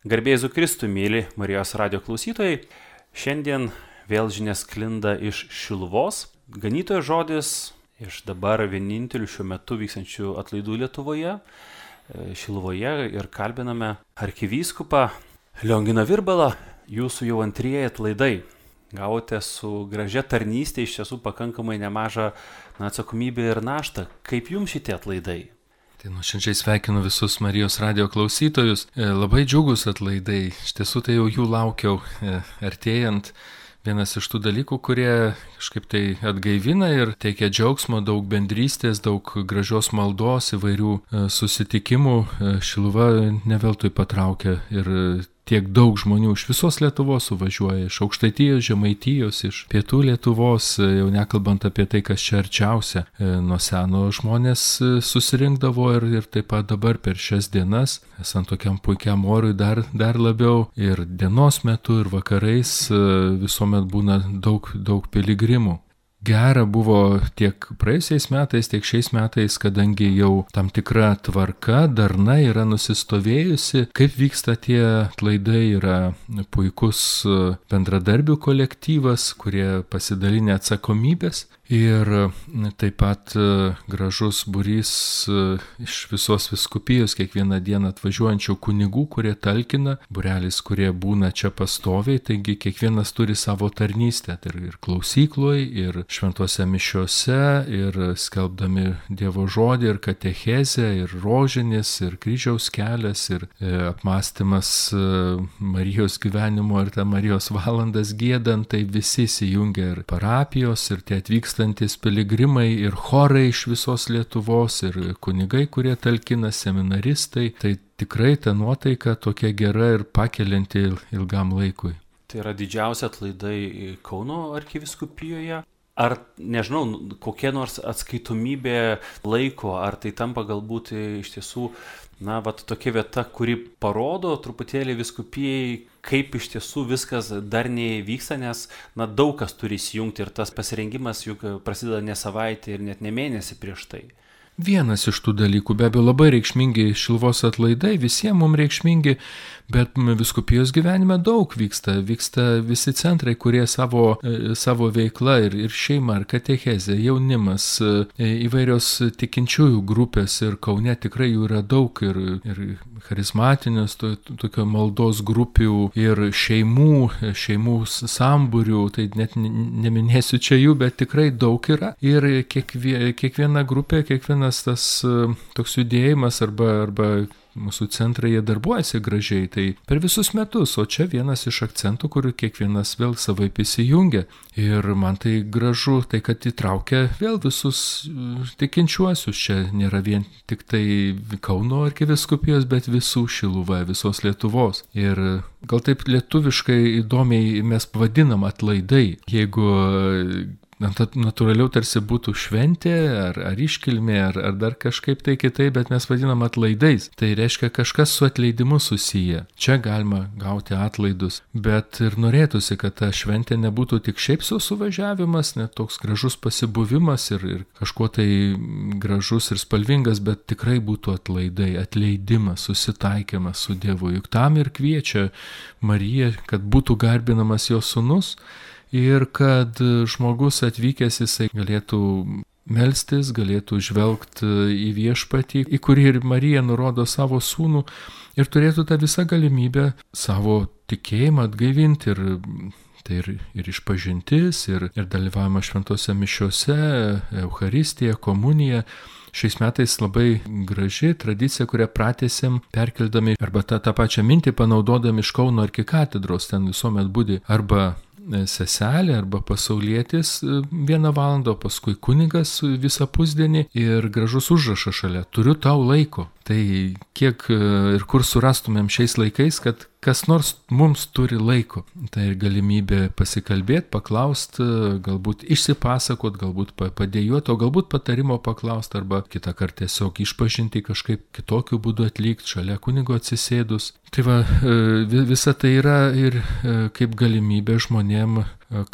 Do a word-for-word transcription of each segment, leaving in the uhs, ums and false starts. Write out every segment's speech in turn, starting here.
Garbė Jėzui Kristui, mėly Marijos radijo klausytojai. Šiandien vėl žinia sklinda iš Šiluvos. Ganytojo žodis iš dabar vienintelių šiuo metu vykstančių atlaidų Lietuvoje, Šiluvoje, ir kalbiname arkivyskupą Lionginą Virbalą. Jūsų jau antrieji atlaidai. Gavote su gražia tarnystė iš tiesų pakankamai nemažą na, atsakomybę ir naštą. Kaip jums šitie atlaidai? Tai nuoširdžiai sveikinu visus Marijos radijo klausytojus. Labai džiugus atlaidai. Iš tiesų tai jau jų laukiau artėjant. Vienas iš tų dalykų, kurie kažkaip tai atgaivina ir teikia džiaugsmo, daug bendrystės, daug gražios maldos, įvairių susitikimų. Šiluva ne veltui patraukia ir tiek daug žmonių iš visos Lietuvos suvažiuoja, iš Aukštaitijos, Žemaitijos, iš Pietų Lietuvos, jau nekalbant apie tai, kas čia arčiausia. Nuo seno žmonės susirinkdavo ir, ir taip pat dabar per šias dienas, esant tokiam puikiam orui dar, dar labiau, ir dienos metu, ir vakarais visuomet būna daug, daug piligrimų. Gera buvo tiek praėjusiais metais, tiek šiais metais, kadangi jau tam tikra tvarka, darna yra nusistovėjusi. Kaip vyksta tie atlaidai, yra puikus bendradarbių kolektyvas, kurie pasidalinę atsakomybės. Ir taip pat gražus būrys iš visos vyskupijos kiekvieną dieną atvažiuojančių kunigų, kurie talkina, būrelis, kurie būna čia pastoviai, taigi kiekvienas turi savo tarnystę, tai ir klausykloje, ir šventose mišiose, ir skelbdami Dievo žodį, ir katechezę, ir rožinis, ir kryžiaus kelias, ir apmąstymas Marijos gyvenimo, ir tą Marijos valandas giedant, tai visi įsijungia, ir parapijos, ir tie atvyksta piligrimai, ir chorai iš visos Lietuvos, ir kunigai, kurie talkina, seminaristai. Tai tikrai ta nuotaika tokia gera ir pakelianti ilgam laikui. Tai yra didžiausia atlaidai Kauno arkivyskupijoje. Ar, nežinau, kokia nors atskaitomybė laiko, ar tai tampa galbūt iš tiesų, na, vat tokia vieta, kuri parodo truputėlį vyskupijai, kaip iš tiesų viskas darniai vyksta, nes, na, daug kas turi įsijungti ir tas pasirengimas juk prasideda ne savaitę ir net ne mėnesį prieš tai. Vienas iš tų dalykų, be abejo, labai reikšmingi Šiluvos atlaidai, visiems mums reikšmingi, bet vyskupijos gyvenime daug vyksta. Vyksta visi centrai, kurie savo, savo veiklą ir, ir šeima, ir katechezė, jaunimas, įvairios tikinčiųjų grupės, ir Kaune tikrai jų yra daug, ir, ir charizmatinės, to, tokio maldos grupių, ir šeimų, šeimų sambūrių, tai net neminėsiu čia jų, bet tikrai daug yra. Ir kiekvie, kiekviena grupė, kiekviena tas toks judėjimas arba, arba mūsų centrai, jie darbuojasi gražiai, tai per visus metus, o čia vienas iš akcentų, kur kiekvienas vėl savaip įsijungia. Ir man tai gražu, tai kad įtraukia vėl visus tikinčiuosius. Čia nėra vien tik tai Kauno arkivyskupijos, bet visų Šiluva, visos Lietuvos. Ir gal taip lietuviškai įdomiai mes pavadinam atlaidai, jeigu natūraliau tarsi būtų šventė, ar, ar iškilmė, ar, ar dar kažkaip tai kitai, bet mes vadinam atlaidais. Tai reiškia kažkas su atleidimu susiję. Čia galima gauti atlaidus, bet ir norėtųsi, kad ta šventė nebūtų tik šiaip sau suvažiavimas, net toks gražus pasibuvimas ir, ir kažkuo tai gražus ir spalvingas, bet tikrai būtų atlaidai, atleidimas, susitaikymas su Dievu. Juk tam ir kviečia Marija, kad būtų garbinamas jos sūnus, ir kad žmogus atvykęs jisai galėtų melstis, galėtų žvelgti į viešpatį, į kurį ir Marija nurodo savo sūnų, ir turėtų tą visą galimybę savo tikėjimą atgaivinti. Ir tai ir, ir išpažintis, ir, ir dalyvavimas šventose mišiose, Eucharistija, komunija. Šiais metais labai graži tradicija, kurią pratęsėm, perkeldami arba tą, tą pačią mintį panaudodami iš Kauno arkikatedros, ten visuomet būdi arba seselė arba pasaulietis vieną valandą, paskui kunigas visą pusdienį ir gražus užrašas šalia. Turiu tau laiko. Tai kiek ir kur surastumėm šiais laikais, kad kas nors mums turi laiko. Tai ir galimybė pasikalbėti, paklausti, galbūt išsipasakot, galbūt padėjuoti, o galbūt patarimo paklausti arba kitą kartą tiesiog išpažinti kažkaip kitokiu būdu atlikti šalia kunigo atsisėdus. Tai va, visa tai yra ir kaip galimybė žmonėm,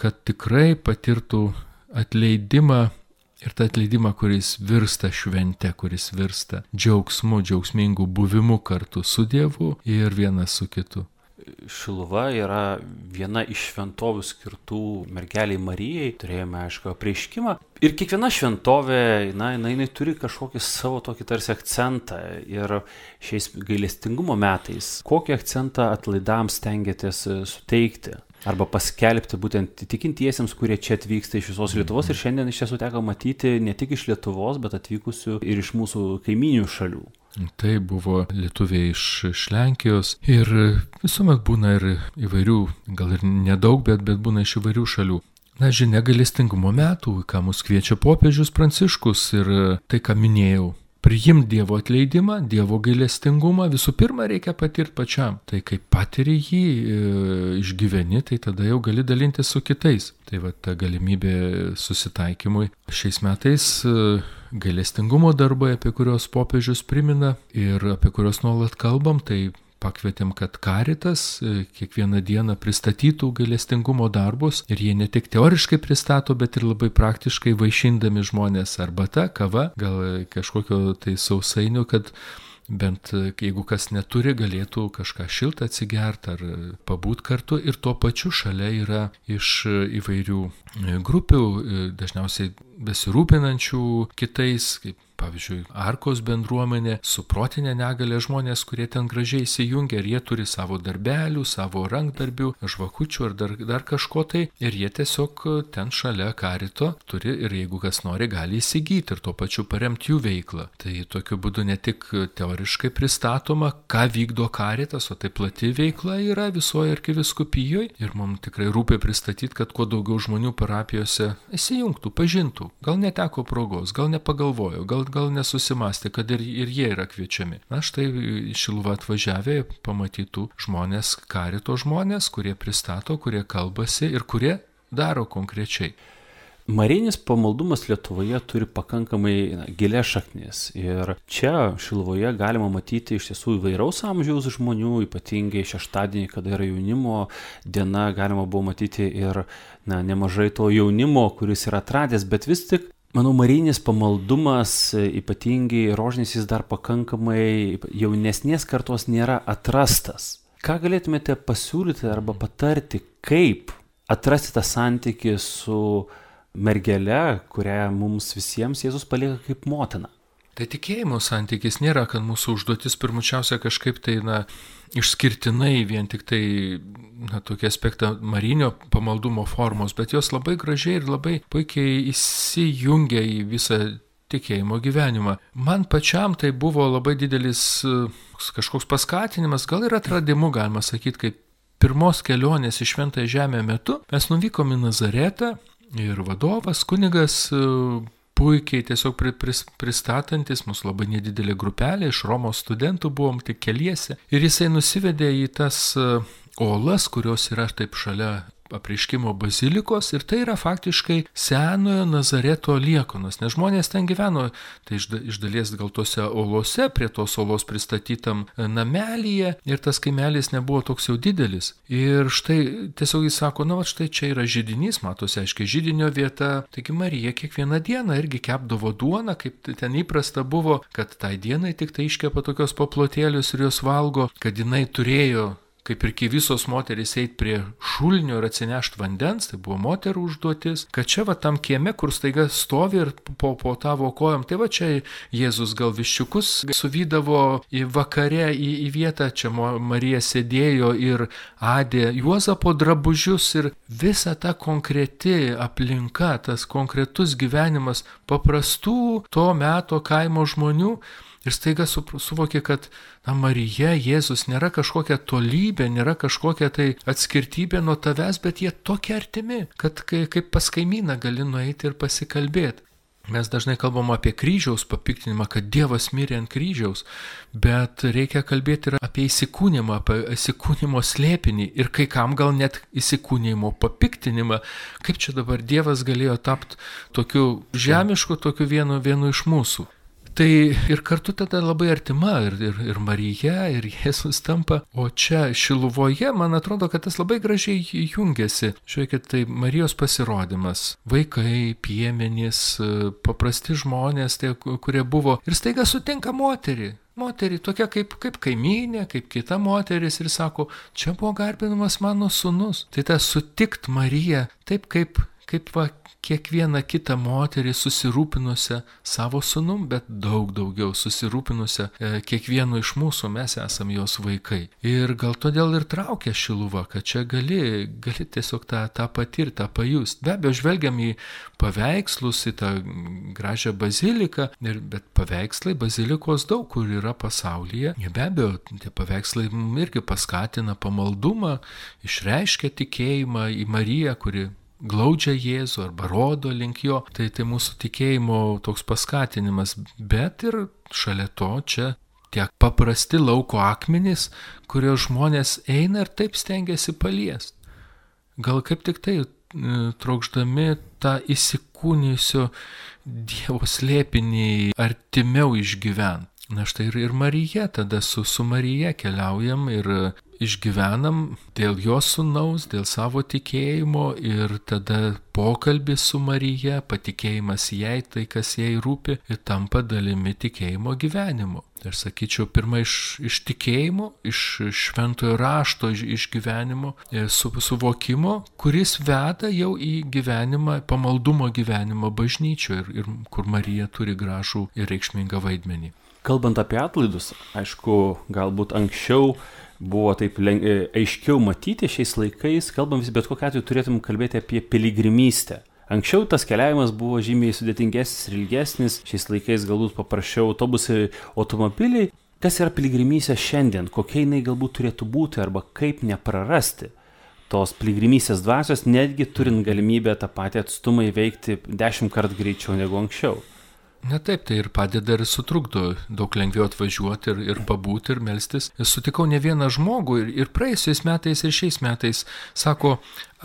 kad tikrai patirtų atleidimą Ir tą atleidimą, kuris virsta švente, kuris virsta džiaugsmu, džiaugsmingu buvimu kartu su Dievu ir vienas su kitu. Šiluva yra viena iš šventovių skirtų mergeliai Marijai, turėjome aišku apreiškimą. Ir kiekviena šventovė, na, jinai, jinai turi kažkokį savo tokį tarsi akcentą. Ir šiais gailestingumo metais, kokį akcentą atlaidams stengiatės suteikti? Arba paskelbti būtent tikintiesiems, kurie čia atvyksta iš visos Lietuvos. Ir šiandien iš tiesų teko matyti ne tik iš Lietuvos, bet atvykusių ir iš mūsų kaiminių šalių. Tai buvo lietuviai iš, iš Lenkijos ir visuomet būna ir įvairių, gal ir nedaug, bet, bet būna iš įvairių šalių. Na, žinia, gailestingumo metų, ką mus kviečia popiežius Pranciškus ir tai, ką minėjau. Priimti Dievo atleidimą, Dievo gailestingumą, visų pirma reikia patirti pačiam. Tai kai patiri jį, e, išgyveni, tai tada jau gali dalintis su kitais. Tai va ta galimybė susitaikymui. Šiais metais e, gailestingumo darbai, apie kuriuos popiežius primena ir apie kuriuos nuolat kalbam, tai pakvietėm, kad Caritas kiekvieną dieną pristatytų gailestingumo darbus ir jie ne tik teoriškai pristato, bet ir labai praktiškai vaišindami žmonės arbata, kava, gal kažkokio tai sausainių, kad bent jeigu kas neturi, galėtų kažką šiltą atsigerti ar pabūt kartu. Ir tuo pačiu šalia yra iš įvairių grupių, dažniausiai besirūpinančių kitais, kaip pavyzdžiui, Arkos bendruomenė, su protinė negalia žmonės, kurie ten gražiai įsijungia ir jie turi savo darbelių, savo rankdarbių, žvakučių ar dar, dar kažko tai ir jie tiesiog ten šalia Carito turi ir jeigu kas nori, gali įsigyti ir tuo pačiu paremti jų veiklą. Tai tokiu būdu ne tik teoriškai pristatoma, ką vykdo Caritas, o tai plati veikla yra visoje arkivyskupijoje ir mums tikrai rūpi pristatyti, kad kuo daugiau žmonių parapijose įsijungtų, pažintų. Gal neteko progos, gal nepagalvojo, gal gal nesusimastė, kad ir, ir jie yra kviečiami. Na štai Šiluvą atvažiavę pamatytų žmonės, Carito žmonės, kurie pristato, kurie kalbasi ir kurie daro konkrečiai. Marijinis pamaldumas Lietuvoje turi pakankamai na, gilias šaknis ir čia Šiluvoje galima matyti iš tiesų įvairaus amžiaus žmonių, ypatingai šeštadienį, kada yra jaunimo diena, galima buvo matyti ir na, nemažai to jaunimo, kuris yra atradęs, bet vis tik manau, marijinis pamaldumas, ypatingai rožinis, jis dar pakankamai jaunesnės kartos nėra atrastas. Ką galėtumėte pasiūlyti arba patarti, kaip atrasti tą santykį su mergele, kurią mums visiems Jėzus palieka kaip motina? Tai tikėjimo santykis nėra, kad mūsų užduotis pirmučiausia kažkaip tai, na, išskirtinai vien tik tai, na, tokie aspektą marinio pamaldumo formos, bet jos labai gražiai ir labai puikiai įsijungia į visą tikėjimo gyvenimą. Man pačiam tai buvo labai didelis kažkoks paskatinimas, gal ir atradimu, galima sakyti, kaip pirmos kelionės į Šventąją Žemę metu mes nuvykom į Nazaretą ir vadovas, kunigas, puikiai tiesiog pristatantis, mūsų labai nedidelė grupelė, iš Romos studentų buvom tik keliese. Ir jisai nusivedė į tas olas, kurios yra taip šalia apreiškimo bazilikos ir tai yra faktiškai senojo Nazareto liekanos, nes žmonės ten gyveno, tai iš dalies gal tose olose, prie tos olos pristatytam namelyje ir tas kaimelis nebuvo toks jau didelis. Ir štai tiesiog jis sako, na va štai čia yra židinys, matosi aiškiai židinio vieta, taigi Marija kiekvieną dieną irgi kepdavo duoną, kaip ten įprasta buvo, kad tai dienai tik tai iškepa tokios paplotėlius ir jos valgo, kad jinai turėjo kaip ir kai visos moterys eit prie šulinio ir atsinešti vandens, tai buvo moterų užduotis, kad čia va tam kieme, kur staiga stovi ir po, po tavo kojom, tai va čia Jėzus gal viščiukus suvydavo į vakare į, į vietą, čia Marija sėdėjo ir adė Juozapo drabužius ir visa ta konkreti aplinka, tas konkretus gyvenimas paprastų to meto kaimo žmonių. Ir staiga suvokė, kad na, Marija, Jėzus nėra kažkokia tolybė, nėra kažkokia tai atskirtybė nuo tavęs, bet jie tokie artimi, kad kaip pas kaimyną gali nueiti ir pasikalbėti. Mes dažnai kalbam apie kryžiaus papiktinimą, kad Dievas mirė ant kryžiaus, bet reikia kalbėti ir apie įsikūnimą, apie įsikūnimo slėpinį ir kai kam gal net įsikūnimo papiktinimą, kaip čia dabar Dievas galėjo tapti tokiu žemišku, tokiu vienu, vienu iš mūsų. Tai ir kartu tada labai artima ir, ir, ir Marija, ir Jėzus tampa. O čia Šiluvoje, man atrodo, kad tas labai gražiai jungiasi. Žiūrėkit, tai Marijos pasirodymas. Vaikai, piemenys, paprasti žmonės, tie, kurie buvo. Ir staiga sutinka moterį. Moterį tokia kaip, kaip kaimynė, kaip kita moteris ir sako, čia buvo garbinamas mano sūnus. Tai ta sutikt Mariją, taip kaip, kaip va, kiekvieną kitą moterį susirūpinusią savo sūnum, bet daug daugiau susirūpinusią e, kiekvienu iš mūsų, mes esam jos vaikai. Ir gal todėl ir traukia Šiluva, kad čia gali, gali tiesiog tą, tą patirti, tą pajust. Be abejo, žvelgiam į paveikslus, į tą gražią baziliką, ir, bet paveikslai, bazilikos daug kur yra pasaulyje. Ir be abejo, tie paveikslai irgi paskatina pamaldumą, išreiškia tikėjimą į Mariją, kuri glaudžia Jėzų arba rodo link jo, tai tai mūsų tikėjimo toks paskatinimas, bet ir šalia to čia tie paprasti lauko akmenys, kurio žmonės eina ir taip stengiasi paliesti. Gal kaip tik tai trokšdami tą įsikūnijusio Dievo slėpinį artimiau išgyvent. Na štai ir, ir Marija, tada su, su Marija keliaujam ir išgyvenam dėl jos sūnaus, dėl savo tikėjimo ir tada pokalbis su Marija, patikėjimas jai, tai kas jai rūpi, ir tampa dalimi tikėjimo gyvenimo. Aš sakyčiau, pirma iš, iš tikėjimo, iš šventojo rašto iš, iš gyvenimo, su, suvokimo, kuris veda jau į gyvenimą, pamaldumo gyvenimą bažnyčioje ir, ir kur Marija turi gražų ir reikšmingą vaidmenį. Kalbant apie atlaidus, aišku, galbūt anksčiau buvo taip leng... aiškiau matyti šiais laikais, kalbam vis, bet kokiu atveju turėtum kalbėti apie piligrimystę. Anksčiau tas keliavimas buvo žymiai sudėtingesnis ir ilgesnis, šiais laikais galbūt paprasčiau autobusai, automobiliai. Kas yra piligrimystė šiandien, kokia jinai galbūt turėtų būti arba kaip neprarasti tos piligrimystės dvasios, netgi turint galimybę tą patį atstumą įveikti dešimt kart greičiau negu anksčiau. Na taip, tai ir padeda ir sutrukdo daug lengviau atvažiuoti ir, ir pabūti ir melstis. Sutikau ne vieną žmogų ir, ir praėjusiais metais ir šiais metais sako,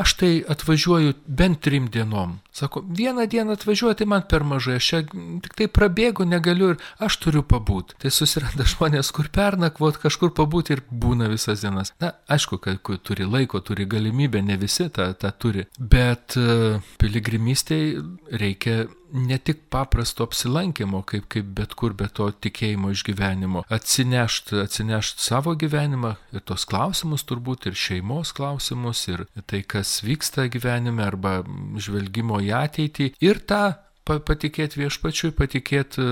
aš tai atvažiuoju bent trim dienom. Sako, vieną dieną atvažiuoju, tai man per mažai, aš čia tik tai prabėgu, negaliu ir aš turiu pabūti. Tai susiranda žmonės, kur pernakvot, kažkur pabūti ir būna visas dienas. Na, aišku, kad turi laiko, turi galimybę, ne visi tą, tą turi. Bet uh, piligrimystėj reikia ne tik paprasto apsilankimo, kaip, kaip bet kur, bet to tikėjimo išgyvenimo. Atsinešt, atsinešt savo gyvenimą ir tos klausimus turbūt, ir šeimos klausimus, ir tai, kas vyksta gyvenime, arba žvelgimo į ateitį. Ir tą patikėti viešpačiui, patikėti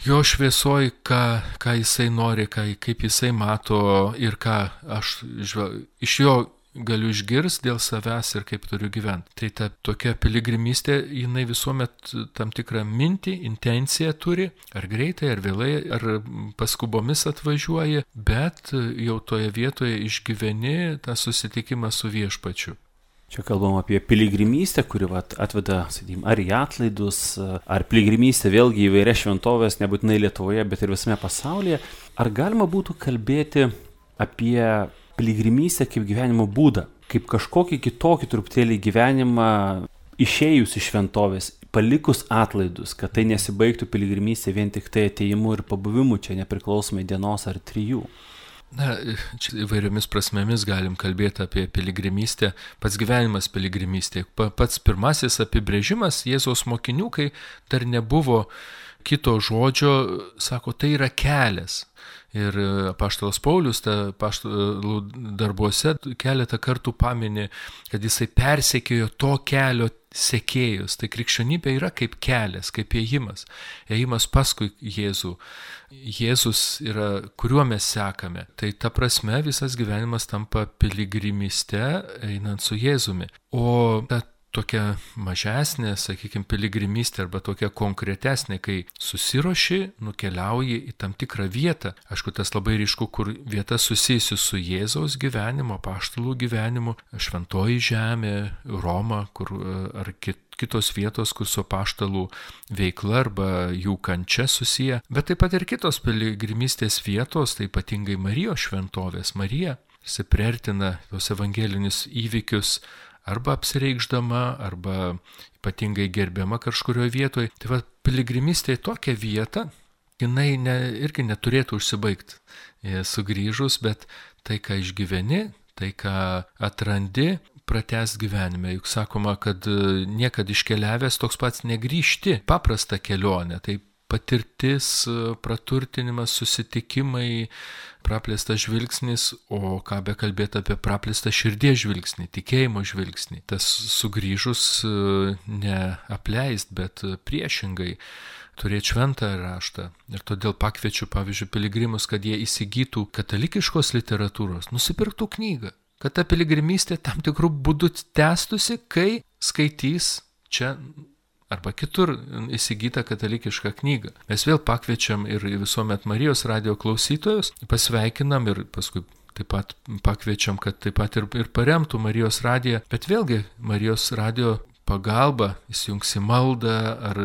jo šviesoj, ką, ką jisai nori, ką, kaip jisai mato ir ką aš žvel... iš jo galiu išgirsti dėl savęs ir kaip turiu gyventi. Tai ta tokia piligrimystė, jinai visuomet tam tikrą mintį, intenciją turi, ar greitai, ar vėlai, ar paskubomis atvažiuoja, bet jau toje vietoje išgyveni tą susitikimą su viešpačiu. Čia kalbam apie piligrimystę, kuri vat, atveda, sakykime, ar į atlaidus, ar piligrimystę vėlgi į įvairias šventovės, nebūtinai Lietuvoje, bet ir visame pasaulyje. Ar galima būtų kalbėti apie piligrimystę kaip gyvenimo būdą, kaip kažkokį kitokį truputėlį gyvenimą išėjus iš šventovės, palikus atlaidus, kad tai nesibaigtų piligrimystė vien tik tai atėjimu ir pabuvimu čia nepriklausomai dienos ar trijų. Na, čia įvairiomis prasmėmis galim kalbėti apie piligrimystę, pats gyvenimas piligrimystė. Pats pirmasis apibrėžimas Jėzaus mokinių, kai dar nebuvo kito žodžio, sako, tai yra kelias. Ir apaštalas Paulius apaštalų darbuose keletą kartų paminė, kad jisai persekiojo to kelio sekėjus. Tai krikščionybė yra kaip kelias, kaip ėjimas. Ėjimas paskui Jėzų. Jėzus yra, kuriuo mes sekame. Tai ta prasme visas gyvenimas tampa piligrimyste einant su Jėzumi. O ta tokia mažesnė, sakykime, piligrimystė arba tokia konkretesnė, kai susiruoši, nukeliauji į tam tikrą vietą. Aišku, tas labai ryšku, kur vieta susijusi su Jėzaus gyvenimu, apaštalų gyvenimu, šventoji žemė, Roma, kur, ar kit, kitos vietos, kur su apaštalų veikla arba jų kančia susiję. Bet taip pat ir kitos piligrimystės vietos, tai ypatingai Marijos šventovės. Marija priartina tos evangelinius įvykius arba apsireikšdama, arba ypatingai gerbiama kažkurioje vietoje. Tai va, piligrimystė į tokią vietą, jinai ne, irgi neturėtų užsibaigti sugrįžus, bet tai, ką išgyveni, tai, ką atrandi, pratęs gyvenime. Juk sakoma, kad niekad iškeliavęs toks pats negrįžti. Paprasta kelionė, tai patirtis, praturtinimas, susitikimai, praplėstas žvilgsnis, o ką be kalbėti apie praplėstą širdies žvilgsnį, tikėjimo žvilgsnį. Tas sugrįžus neapleist, bet priešingai turėti šventą raštą. Ir todėl pakviečiu, pavyzdžiui, piligrimus, kad jie įsigytų katalikiškos literatūros, nusipirktų knygą, kad ta piligrimystė tam tikrų būdų tęstusi, kai skaitys čia arba kitur įsigytą katalikišką knygą. Mes vėl pakviečiam ir visuomet Marijos radijo klausytojus, pasveikinam ir paskui taip pat pakviečiam, kad taip pat ir, ir paremtų Marijos radiją, bet vėlgi Marijos radijo pagalba įsijungs į maldą ar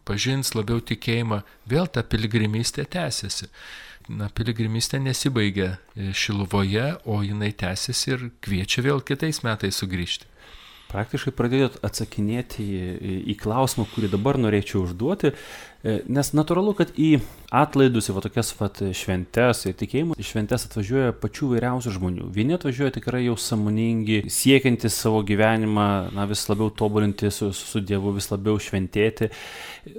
pažins labiau tikėjimą, vėl ta piligrimystė tęsiasi. Na, piligrimystė nesibaigia Šiluvoje, o jinai tęsiasi ir kviečia vėl kitais metais sugrįžti. Praktiškai pradėjot atsakinėti į, į klausimą, kurį dabar norėčiau užduoti, nes natūralu, kad į atlaidus, į va tokias vat šventes, į tikėjimo šventes atvažiuoja pačių vairiausių žmonių. Vieni atvažiuoja tikrai jau sąmoningi, siekiantys savo gyvenimą, na, vis labiau tobulinti su, su Dievu, vis labiau šventėti.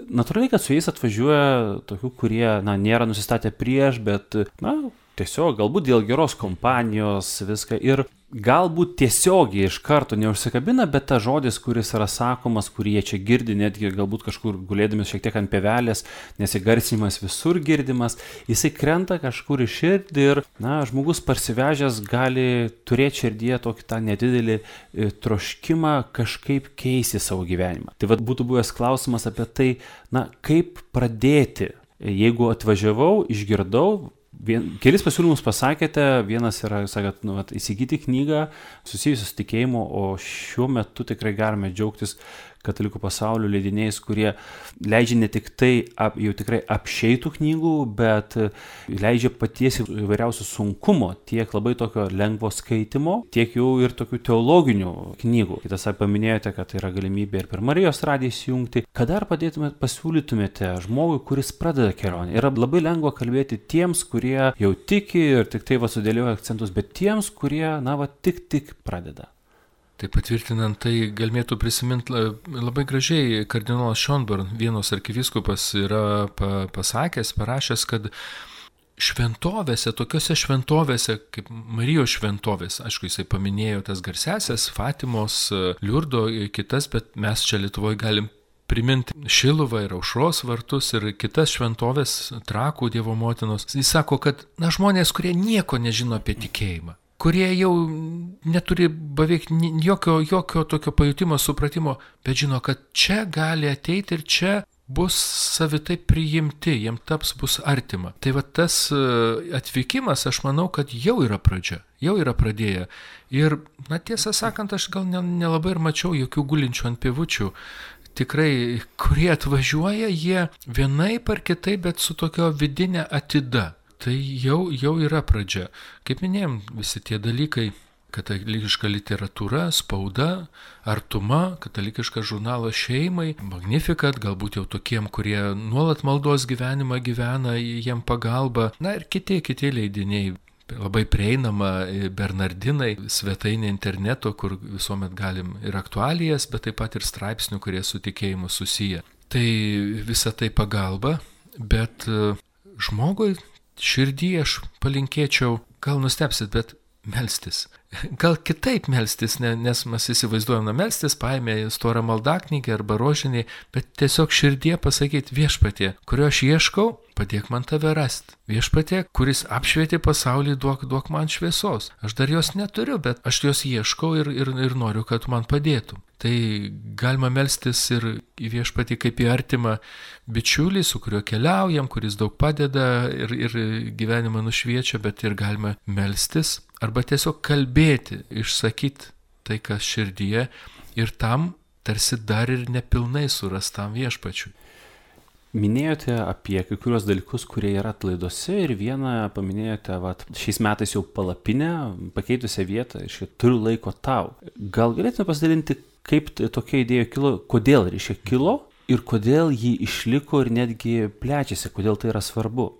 Natūraliai, kad su jais atvažiuoja tokių, kurie, na, nėra nusistatę prieš, bet, na, tiesiog galbūt dėl geros kompanijos viską ir galbūt tiesiogiai iš karto neužsikabina, bet ta žodis, kuris yra sakomas, kurį jie čia girdi, netgi galbūt kažkur gulėdami šiek tiek ant pievelės, nesigarsinimas visur girdimas, jisai krenta kažkur į širdį ir, na, žmogus parsivežęs gali turėti širdyje tokį tą nedidelį troškimą kažkaip keisti savo gyvenimą. Tai vad būtų buvęs klausimas apie tai, na, kaip pradėti, jeigu atvažiavau, išgirdau, Vien, kelis pasiūlymus pasakėte, vienas yra, sakėt, nu, vat, įsigyti knygą susijusiu su tikėjimu, o šiuo metu tikrai galime džiaugtis katalikų pasaulio leidiniais, kurie leidžia ne tik tai ap, jau tikrai apšeitų knygų, bet leidžia paties įvairiausių sunkumo, tiek labai tokio lengvo skaitimo, tiek jau ir tokių teologinių knygų. Kitas paminėjote, kad tai yra galimybė ir per Marijos radiją įsijungti. Ką dar padėtumėte, pasiūlytumėte žmogui, kuris pradeda kelionę? Yra labai lengva kalbėti tiems, kurie jau tiki ir tik tai va sudėlioja akcentus, bet tiems, kurie, na, va, tik tik pradeda. Tai patvirtinant, tai galėtų prisiminti labai gražiai kardinolas Schönborn, Vienos arkivyskupas, yra pasakęs, parašęs, kad šventovėse, tokiose šventovėse, kaip Marijos šventovės, aišku, jisai paminėjo tas garsesias, Fatimos, Liurdo, kitas, bet mes čia Lietuvoje galim priminti Šiluvą ir Aušros vartus ir kitas šventovės, Trakų Dievo motinos. Jis sako, kad, na, žmonės, kurie nieko nežino apie tikėjimą, kurie jau neturi beveik jokio, jokio tokio pajutimo, supratimo, bet žino, kad čia gali ateiti ir čia bus savitai priimti, jiems taps bus artima. Tai va tas atvykimas, aš manau, kad jau yra pradžia, jau yra pradėję. Ir, na, tiesą sakant, aš gal nelabai ir mačiau jokių gulinčių ant pievučių. Tikrai, kurie atvažiuoja, jie vienaip ar kitaip, bet su tokio vidinė atida. Tai jau, jau yra pradžia. Kaip minėjom, visi tie dalykai, katalikiška literatūra, spauda, artuma, katalikiškas žurnalas šeimai, Magnificat, galbūt jau tokiem, kurie nuolat maldos gyvenimą gyvena, jiem pagalba, na ir kiti, kiti leidiniai. Labai prieinama Bernardinai, svetainė interneto, kur visuomet galim ir aktualijas, bet taip pat ir straipsnių, kurie su tikėjimu susiję. Tai visa tai pagalba, bet žmogui širdį aš palinkėčiau, gal nustepsit, bet melstis. Gal kitaip melstis, nes mes įsivaizduojam, na, melstis, paėmė storą maldaknygę arba rožinį, bet tiesiog širdie pasakyti viešpatie, kurio aš ieškau, padėk man tave rasti. Viešpatie, kuris apšvietė pasaulį, duok, duok man šviesos. Aš dar jos neturiu, bet aš jos ieškau ir, ir, ir noriu, kad man padėtum. Tai galima melstis ir į viešpatį kaip į artimą bičiulį, su kuriuo keliaujam, kuris daug padeda ir, ir gyvenimą nušviečia, bet ir galima melstis arba tiesiog kalbėti, išsakyti tai, kas širdyje ir tam tarsi dar ir nepilnai surastam viešpačiui. Minėjote apie kai kurios dalykus, kurie yra atlaiduose ir vieną paminėjote, vat, šiais metais jau palapinę, pakeitusią vietą, iškai turiu laiko tau. Gal galėtume pasidalinti, kaip tokia idėja kilo, kodėl reiškia kilo ir kodėl ji išliko ir netgi plečiasi, kodėl tai yra svarbu?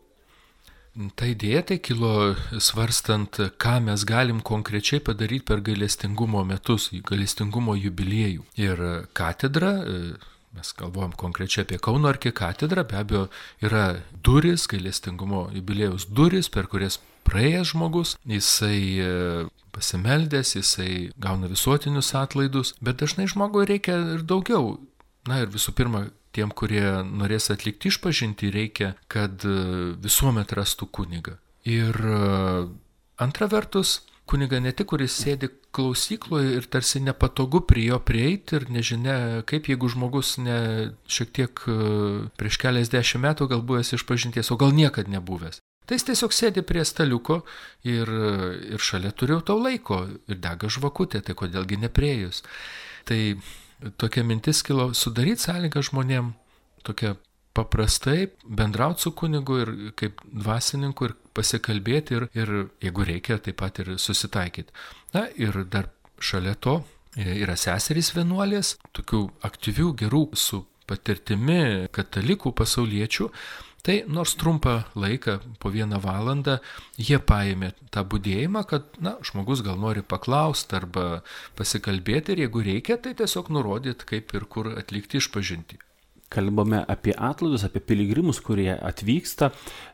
Ta idėja tai kilo svarstant, ką mes galim konkrečiai padaryti per gailestingumo metus, gailestingumo jubiliejų. Ir katedra, mes galvojam konkrečiai apie Kauno arkikatedrą, be abejo yra duris, gailestingumo jubiliejaus duris, per kurias praėjęs žmogus, jisai pasimeldęs, jisai gauna visuotinius atlaidus, bet dažnai žmogui reikia ir daugiau. Na ir visų pirma, tiem, kurie norės atlikti išpažintį, reikia, kad visuomet rastų kunigą. Ir antra vertus, kunigą ne tik, kuris sėdi klausykloje ir tarsi nepatogu prie jo prieiti ir nežinia, kaip jeigu žmogus ne šiek tiek prieš keliasdešimt metų gal buvęs išpažinties, o gal niekad nebuvęs. Tai jis tiesiog sėdi prie staliuko ir, ir šalia turiu tau laiko ir dega žvakutė, tai kodėlgi nepriejus. Tai tokia mintis kilo sudaryti sąlygą žmonėm tokia paprastai bendrauti su kunigu ir kaip dvasininku ir pasikalbėti ir, ir jeigu reikia, taip pat ir susitaikyti. Na ir dar šalia to yra seserys vienuolės, tokių aktyvių, gerų su patirtimi katalikų pasauliečių. Tai nors trumpą laiką, po vieną valandą, jie paėmė tą budėjimą, kad, na, žmogus gal nori paklausti arba pasikalbėti ir jeigu reikia, tai tiesiog nurodyti, kaip ir kur atlikti išpažintį. Kalbame apie atlaidus, apie piligrimus, kurie atvyksta.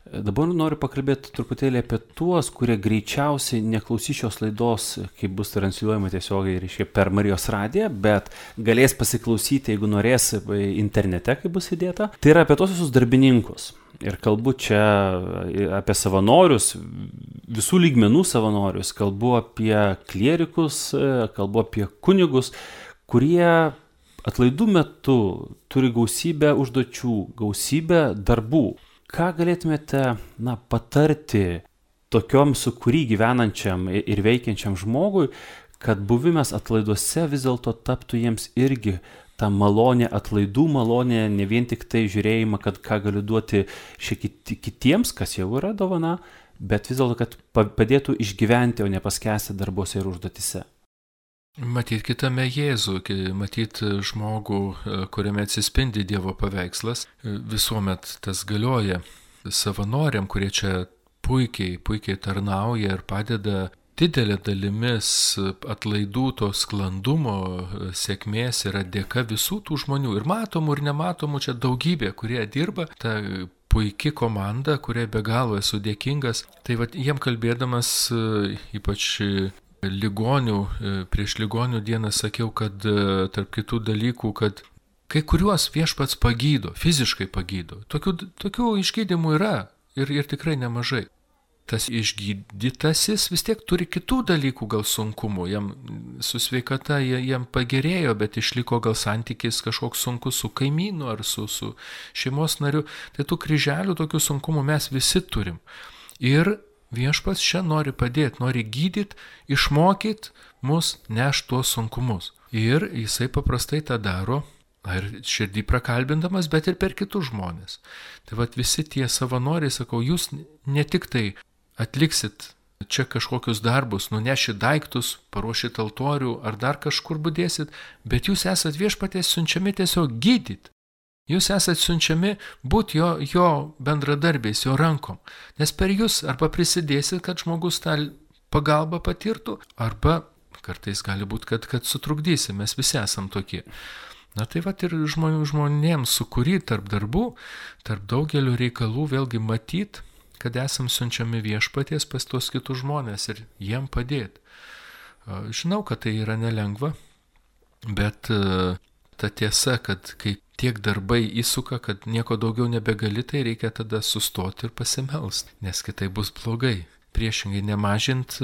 Dabar noriu pakalbėti truputėlį apie tuos, kurie greičiausiai neklausys šios laidos, kaip bus transliuojama tiesiogiai, reiškia, per Marijos radiją, bet galės pasiklausyti, jeigu norės, internete, kaip bus įdėta. Tai yra apie tos visus darbininkus. Ir kalbu čia apie savanorius, visų lygmenų savanorius, kalbu apie klierikus, kalbu apie kunigus, kurie atlaidų metu turi gausybę užduočių, gausybę darbų. Ką galėtumėte, na, patarti tokiom sukūry gyvenančiam ir veikiančiam žmogui, kad buvimas atlaiduose vis dėlto taptų jiems irgi ta malonė, atlaidų malonė, ne vien tik tai žiūrėjimą, kad ką galiu duoti šiek tiek kitiems, kas jau yra dovana, bet vis dėlto, kad padėtų išgyventi, o ne paskęsti darbuose ir užduotise. Matyt kitame Jėzų, matyt žmogų, kuriame atsispindi Dievo paveikslas, visuomet tas galioja savanoriam, kurie čia puikiai, puikiai tarnauja ir padeda didelė dalimis atlaidų to sklandumo sėkmės yra dėka visų tų žmonių ir matomų ir nematomų čia daugybė, kurie dirba, ta puiki komanda, kuriai be galo esu dėkingas. Tai va, jiem kalbėdamas ypač ligonių, prieš ligonių dieną sakiau, kad tarp kitų dalykų, kad kai kuriuos viešpats pagydo, fiziškai pagydo. Tokių, tokių išgydymų yra ir, ir tikrai nemažai. Tas išgydytasis vis tiek turi kitų dalykų gal sunkumų, jam su sveikata jam pagerėjo, bet išliko gal santykis kažkoks sunkus su kaimynu ar su, su šeimos nariu. Tai tų kryželių, tokių sunkumų mes visi turim. Ir viešpats čia nori padėti, nori gydyti, išmokyti mus nešti tuos sunkumus. Ir jisai paprastai tą daro, ir širdį prakalbindamas, bet ir per kitus žmonės. Tai vat visi tie savanoriai, sakau, jūs ne tik tai atliksit čia kažkokius darbus, nunešit daiktus, paruošit altorių ar dar kažkur budėsit, bet jūs esat viešpaties siunčiami tiesiog gydyti. Jūs esat siunčiami būti jo, jo bendradarbiais, jo rankom. Nes per jūs arba prisidėsit, kad žmogus tą pagalbą patirtų, arba kartais gali būti, kad, kad sutrukdysim, mes visi esam tokie. Na tai vat ir žmonių, žmonėms sukūry tarp darbų, tarp daugelio reikalų vėlgi matyt, kad esam siunčiami viešpaties pas tos kitus žmonės ir jiem padėti. Žinau, kad tai yra nelengva, bet ta tiesa, kad kai tiek darbai įsuka, kad nieko daugiau nebegali, tai reikia tada sustoti ir pasimelst, nes kitai bus blogai. Priešingai nemažint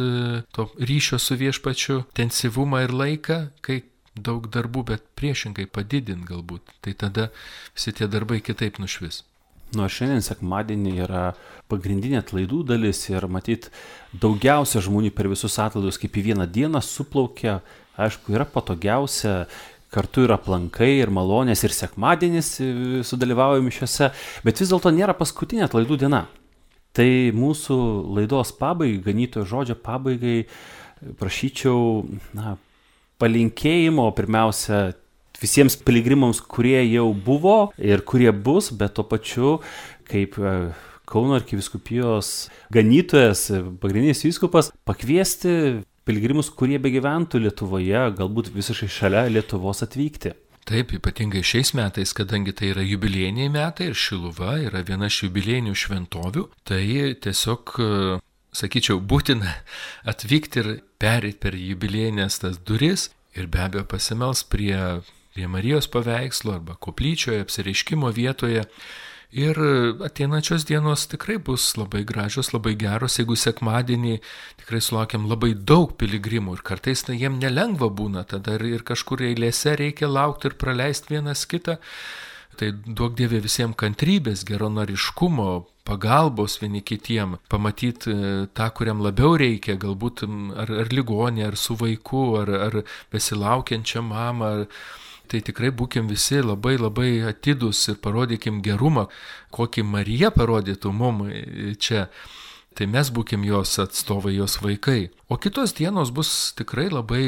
to ryšio su viešpačiu intensyvumą ir laiką, kai daug darbų, bet priešingai padidint galbūt. Tai tada visi tie darbai kitaip nušvis. Nu, šiandien sekmadienį yra pagrindinė atlaidų dalis ir matyt daugiausia žmonių per visus atlaidus kaip į vieną dieną suplaukia. Aišku, yra patogiausia, kartu yra aplankai ir malonės ir sekmadienis sudalyvauja mišiose, bet vis dėlto nėra paskutinė atlaidų diena. Tai mūsų laidos pabaigai, ganytojo žodžio pabaigai prašyčiau, na, palinkėjimo, pirmiausia, visiems piligrimams, kurie jau buvo ir kurie bus, bet tuo pačiu kaip Kauno arkivyskupijos ganytojas, pagrindinis vyskupas, pakviesti piligrimus, kurie begyventų Lietuvoje, galbūt visiškai šalia Lietuvos atvykti. Taip, ypatingai šiais metais, kadangi tai yra jubiliejiniai metai ir Šiluva yra viena iš jubiliejinių šventovių, tai tiesiog, sakyčiau, būtina atvykti ir perėti per jubiliejinės tas duris ir be abejo pasimels prie, prie Marijos paveikslo arba koplyčioje, apsireiškimo vietoje. Ir ateinančios dienos tikrai bus labai gražios, labai geros, jeigu sekmadienį tikrai sulaukiam labai daug piligrimų ir kartais tai jiem nelengva būna, tada ir, ir kažkur eilėse reikia laukti ir praleisti vienas kitą. Tai duok Dieve visiems kantrybės, geronoriškumo, pagalbos vieni kitiem, pamatyti tą, kuriam labiau reikia, galbūt ar, ar ligonė, ar su vaiku, ar, ar besilaukiančią mamą. Ar, Tai tikrai būkim visi labai labai atidūs ir parodykim gerumą, kokį Marija parodytų mum čia. Tai mes būkim jos atstovai, jos vaikai. O kitos dienos bus tikrai labai,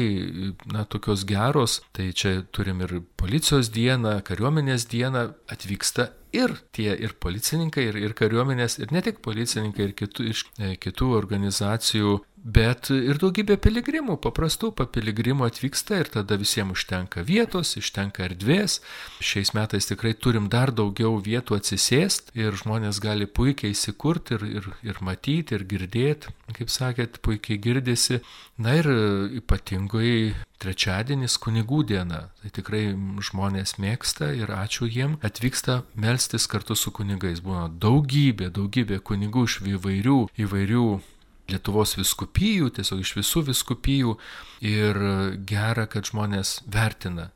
na, tokios geros. Tai čia turim ir policijos dieną, kariuomenės dieną, atvyksta ir tie ir policininkai, ir, ir kariuomenės, ir ne tik policininkai, ir kitų, iš e, kitų organizacijų, bet ir daugybė piligrimų, paprastų papiligrimų atvyksta ir tada visiems užtenka vietos, užtenka erdvės. Šiais metais tikrai turim dar daugiau vietų atsisėsti ir žmonės gali puikiai įsikurti ir, ir, ir matyti, ir girdėti, kaip sakėt, puikiai girdisi. Na ir ypatingai trečiadienis kunigų diena. Tai tikrai žmonės mėgsta ir ačiū jiem. Atvyksta melstis kartu su kunigais. Būna daugybė, daugybė kunigų iš įvairių, įvairių Lietuvos vyskupijų, tiesiog iš visų vyskupijų. Ir gera, kad žmonės vertina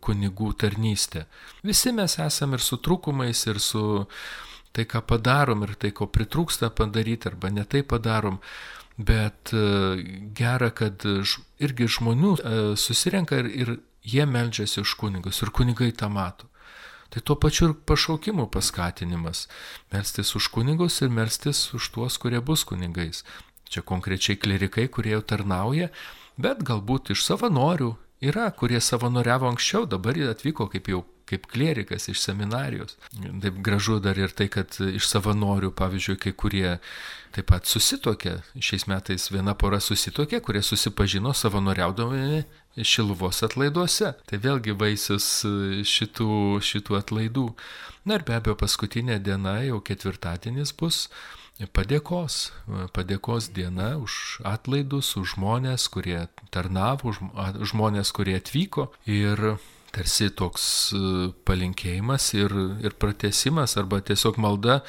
kunigų tarnystę. Visi mes esame ir su trūkumais, ir su tai, ką padarom, ir tai, ko pritrūksta padaryti, arba ne tai padarom. Bet gera, kad irgi žmonių susirenka ir, ir jie meldžiasi už kunigus ir kunigai tą mato. Tai tuo pačiu ir pašaukimų paskatinimas. Melstis už kunigus ir melstis už tuos, kurie bus kunigais. Čia konkrečiai klerikai, kurie jau tarnauja, bet galbūt iš savanorių yra, kurie savanoriavo anksčiau, dabar atvyko kaip jau kaip klerikas iš seminarijos. Taip gražu dar ir tai, kad iš savanorių, pavyzdžiui, kai kurie taip pat susitokė. Šiais metais viena pora susitokė, kurie susipažino savanoriaudami Šiluvos atlaiduose. Tai vėlgi vaisius šitų, šitų atlaidų. Na ir be abejo paskutinė diena, jau ketvirtadienis bus padėkos. Padėkos diena už atlaidus, už žmonės, kurie tarnavo, už žmonės, kurie atvyko. Ir tarsi toks palinkėjimas ir, ir pratęsimas arba tiesiog malda,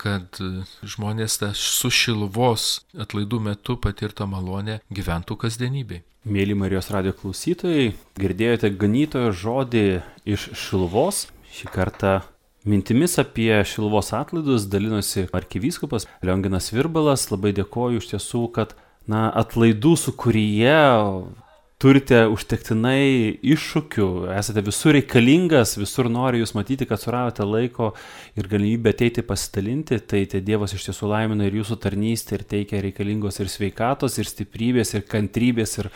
kad žmonės tą su Šiluvos atlaidų metu patirtą malonę gyventų kasdienybei. Mėly Marijos radijo klausytojai, girdėjote ganytojo žodį iš Šiluvos. Šį kartą mintimis apie Šiluvos atlaidus dalinosi arkivyskupas Lionginas Virbalas. Labai dėkoju iš tiesų, kad na, atlaidų sukūryje turite užtektinai iššūkių, esate visur reikalingas, visur nori jūs matyti, kad suradote laiko ir galimybę ateiti pasidalinti, tai tai Dievas iš tiesų laimina ir jūsų tarnystę ir teikia reikalingos ir sveikatos, ir stiprybės, ir kantrybės, ir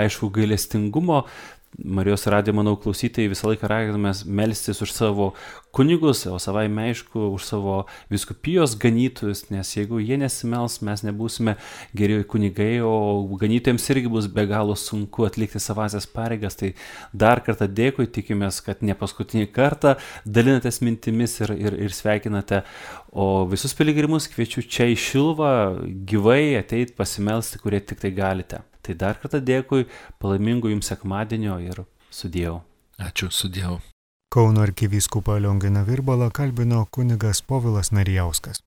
aišku gailestingumo. Marijos radijo, manau, klausytojai visą laiką raginame melstis už savo kunigus, o savaime aišku už savo vyskupijos ganytojus, nes jeigu jie nesimels, mes nebūsime geri kunigai, o ganytojams irgi bus be galo sunku atlikti savasias pareigas. Tai dar kartą dėkui, tikimės, kad ne paskutinį kartą dalinatės mintimis ir, ir, ir sveikinate, o visus piligrimus kviečiu čia į Šiluvą gyvai ateit pasimelsti, kurie tik tai galite. Tai dar kartą dėkui, palaimingų jums sekmadienio ir sudiev. Ačiū, sudiev. Kauno arkivyskupą Lionginą Virbalą kalbino kunigas Povilas Narijauskas.